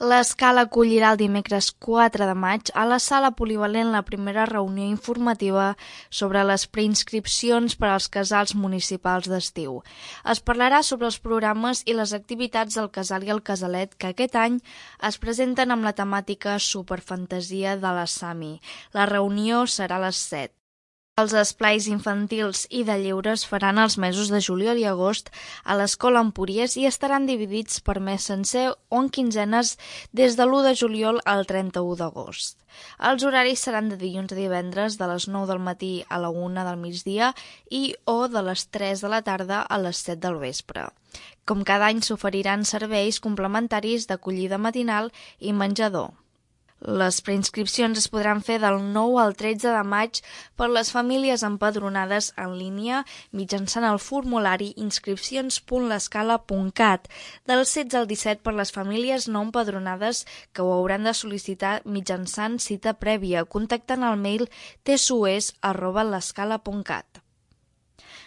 L'Escala acollirà el dimecres 4 de maig a la sala polivalent la primera reunió informativa sobre les preinscripcions per als casals municipals d'estiu. Es parlarà sobre els programes i les activitats del casal i el casalet que aquest any es presenten amb la temàtica Superfantasia de la Sami. La reunió serà a les 7. Els esplais infantils i de lleure es faran els mesos de juliol i agost a l'Escola Empúries i estaran dividits per mes sencer o en quinzenes des de l'1 de juliol al 31 d'agost. Els horaris seran de dilluns a divendres de les 9 del matí a la 1 del migdia o de les 3 de la tarda a les 7 del vespre. Com cada any s'oferiran serveis complementaris d'acollida matinal i menjador. Les preinscripcions es podran fer del 9 al 13 de maig per les famílies empadronades en línia mitjançant el formulari inscripcions.lescala.cat, del 16 al 17 per les famílies no empadronades que ho hauran de sol·licitar mitjançant cita prèvia, contactant el mail tsues@lescala.cat.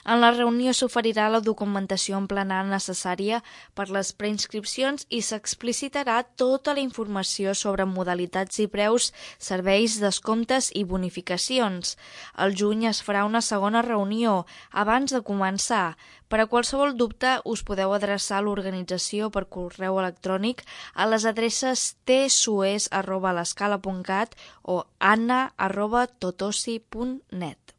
En la reunió s'oferirà la documentació emplenada necessària per les preinscripcions i s'explicitarà tota la informació sobre modalitats i preus, serveis, descomptes i bonificacions. Al juny es farà una segona reunió, abans de començar. Per a qualsevol dubte us podeu adreçar a l'organització per correu electrònic a les adreces tsues@lescala.cat o anna@totosi.net.